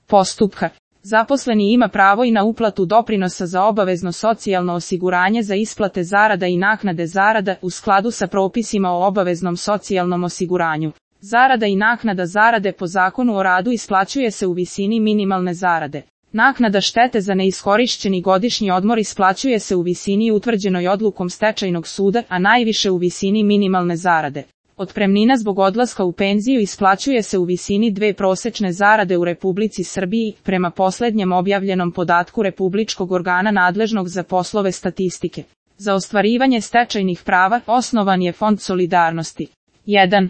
postupka. Zaposleni ima pravo i na uplatu doprinosa za obavezno socijalno osiguranje za isplate zarada i naknade zarada u skladu sa propisima o obaveznom socijalnom osiguranju. Zarada i naknada zarade po Zakonu o radu isplaćuje se u visini minimalne zarade. Naknada štete za neiskorišćeni godišnji odmor isplaćuje se u visini utvrđenoj odlukom stečajnog suda, a najviše u visini minimalne zarade. Otpremnina zbog odlaska u penziju isplaćuje se u visini 2 prosečne zarade u Republici Srbiji, prema poslednjem objavljenom podatku Republičkog organa nadležnog za poslove statistike. Za ostvarivanje stečajnih prava osnovan je Fond solidarnosti. 1.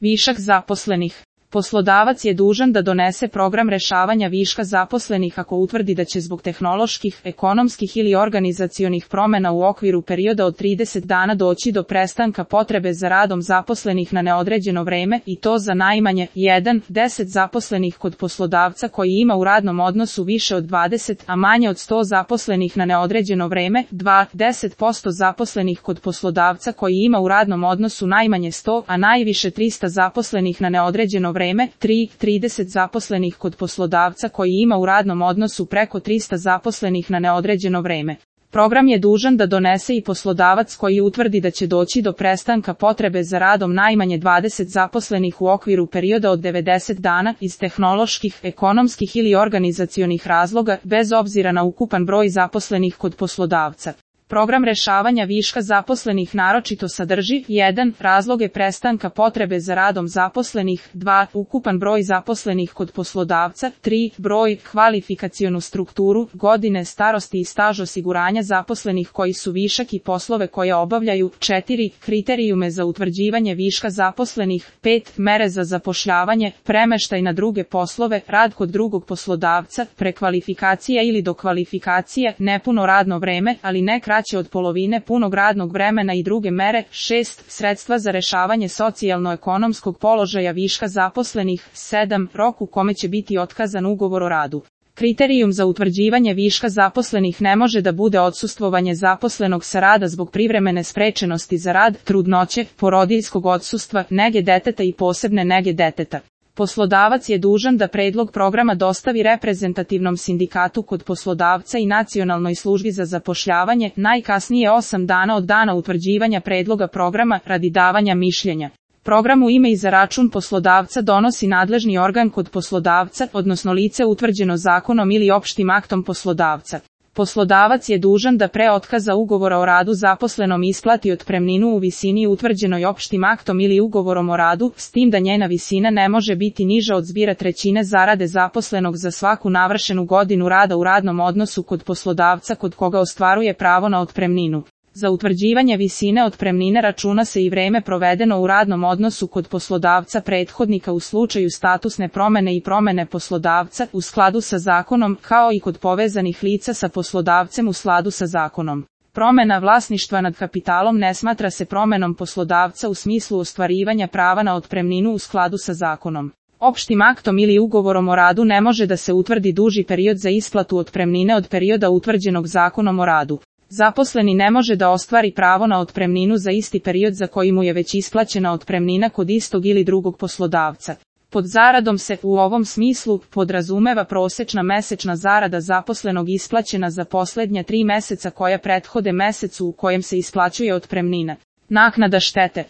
Višak zaposlenih. Poslodavac je dužan da donese program rešavanja viška zaposlenih ako utvrdi da će zbog tehnoloških, ekonomskih ili organizacionih promena u okviru perioda od 30 dana doći do prestanka potrebe za radom zaposlenih na neodređeno vreme i to za najmanje 1. 10 zaposlenih kod poslodavca koji ima u radnom odnosu više od 20, a manje od 100 zaposlenih na neodređeno vreme, 2. 10% zaposlenih kod poslodavca koji ima u radnom odnosu najmanje 100, a najviše 300 zaposlenih na neodređeno vreme, 3. 30 zaposlenih kod poslodavca koji ima u radnom odnosu preko 300 zaposlenih na neodređeno vreme. Program je dužan da donese i poslodavac koji utvrdi da će doći do prestanka potrebe za radom najmanje 20 zaposlenih u okviru perioda od 90 dana iz tehnoloških, ekonomskih ili organizacionih razloga, bez obzira na ukupan broj zaposlenih kod poslodavca. Program rešavanja viška zaposlenih naročito sadrži 1. razloge prestanka potrebe za radom zaposlenih, 2. ukupan broj zaposlenih kod poslodavca, 3. broj, kvalifikacionu strukturu, godine starosti i staž osiguranja zaposlenih koji su višak i poslove koje obavljaju, 4. kriterijume za utvrđivanje viška zaposlenih, 5. mere za zapošljavanje, premeštaj na druge poslove, rad kod drugog poslodavca, prekvalifikacija ili dokvalifikacija, nepuno radno vreme, ali ne kraće od polovine punog radnog vremena i druge mere, 6. sredstva za rešavanje socijalno-ekonomskog položaja viška zaposlenih, 7. rok u kome će biti otkazan ugovor o radu. Kriterijum za utvrđivanje viška zaposlenih ne može da bude odsustvovanje zaposlenog sa rada zbog privremene sprečenosti za rad, trudnoće, porodiljskog odsustva, nege deteta i posebne nege deteta. Poslodavac je dužan da predlog programa dostavi reprezentativnom sindikatu kod poslodavca i Nacionalnoj službi za zapošljavanje najkasnije 8 dana od dana utvrđivanja predloga programa radi davanja mišljenja. Program u ime i za račun poslodavca donosi nadležni organ kod poslodavca, odnosno lice utvrđeno zakonom ili opštim aktom poslodavca. Poslodavac je dužan da pre otkaza ugovora o radu zaposlenom isplati otpremninu u visini utvrđenoj opštim aktom ili ugovorom o radu, s tim da njena visina ne može biti niža od zbira trećine zarade zaposlenog za svaku navršenu godinu rada u radnom odnosu kod poslodavca kod koga ostvaruje pravo na otpremninu. Za utvrđivanje visine otpremnine računa se i vreme provedeno u radnom odnosu kod poslodavca prethodnika u slučaju statusne promene i promene poslodavca u skladu sa zakonom, kao i kod povezanih lica sa poslodavcem u skladu sa zakonom. Promena vlasništva nad kapitalom ne smatra se promenom poslodavca u smislu ostvarivanja prava na otpremninu u skladu sa zakonom. Opštim aktom ili ugovorom o radu ne može da se utvrdi duži period za isplatu otpremnine od perioda utvrđenog zakonom o radu. Zaposleni ne može da ostvari pravo na otpremninu za isti period za koji mu je već isplaćena otpremnina kod istog ili drugog poslodavca. Pod zaradom se, u ovom smislu, podrazumeva prosečna mesečna zarada zaposlenog isplaćena za poslednja 3 meseca koja prethode mesecu u kojem se isplaćuje otpremnina. Naknada štete.